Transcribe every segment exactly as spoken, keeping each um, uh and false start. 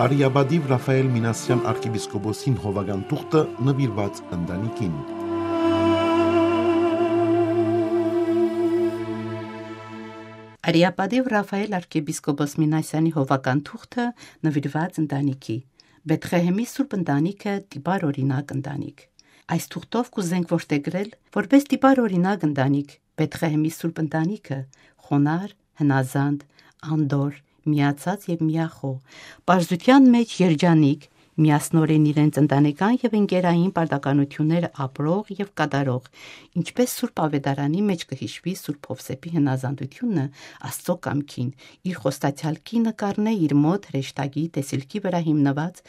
Արիապատիւ Ռաֆայել Մինասեան արքեպիսկոպոսին հովական թուղթը նուիրուած ընտանիքին։ Արիապատիւ Ռաֆայել արքեպիսկոպոս Մինասեանի հովական թուղթը նուիրուած ընտանիքի։ Բեթղեհեմի Սուրբ Ընտանիքը տիպար օրինակ ընտանիք։ Այս թուղթով կ'ուզենք որդեգրել, որպէս տիպար օրինակ ընտանիք, Բեթղեհեմի Սուրբ Ընտանիքը, խոնար, հնազանդ, անդոր, միացած եւ միախոհ, պարզութեան մէջ երջանիկ, միասնորեն իրենց ընտանեկան եւ ընկերային պարտականութիւնները ապրող եւ կատարող, ինչպէս Սուրբ Աւետարանի մէջ կը յիշուի Սուրբ Յովսէփի հնազանդութիւնը Աստուծոյ կամքին, իր խոստացեալ կինը կ'առնէ իր մօտ հրեշտակի տեսիլքի վրայ հիմնուած,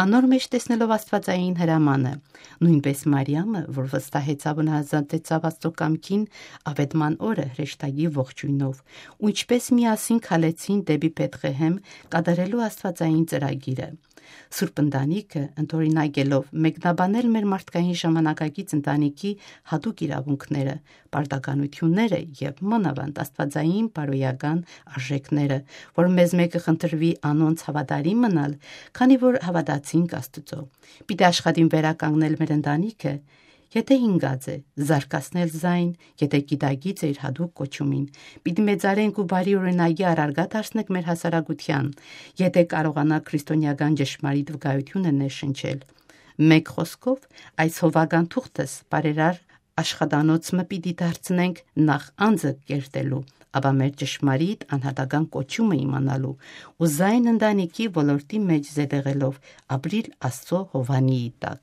անոր մէջ տեսնելով Աստուածային հրամանը։ Նոյնպէս Մարիամը, որ վստահեցաւ ու հնազանդեցաւ Աստուծոյ կամքին, աւետման օրը հրեշտակի ողջոյնով, ու ինչպէս միասին քալեցին դէպի Բեթղեհեմ՝ կատարելու Աստուածային ծրագիրը։ Սուրբ Ընտանիքը, ընդօրինակելով, մեկնաբանել մեր մարդկային ժամանակակից ընտանիքի յատուկ իրաւունքները, պարտականութիւնները եւ մանաւանդ աստուածային բարոյական արժէքները, որ մեզ մէկը խնդրուի անոնց հաւատարիմ մնալ, քանի որ հաւատացինք Աստուծոյ։ Պիտի աշխատին վերականգնել մեր ընտանիքը, եթէ հինգած է, զարգացնել զայն, եթէ գիտակից է իր յատուկ կոչումին։ Պիտի մեծարենք ու բարի օրինակի առարկայ դարձնենք մեր հասարակութեան, եթէ կարողանանք քրիստոնեական ճշմարիտ վկայութիւնը ներշնչել։ Մէկ խօսքով, այս հովական թուղթս բարերար աշխատանոց մը պիտի դարձնենք նախ անձը կերտելու, ապա մեր ճշմարիտ անհատական կոչումը իմանալու ու զայն ընտանիքի ոլորտի մէջ զետեղելով ապրիլ Աստուծոյ հովանիի տակ։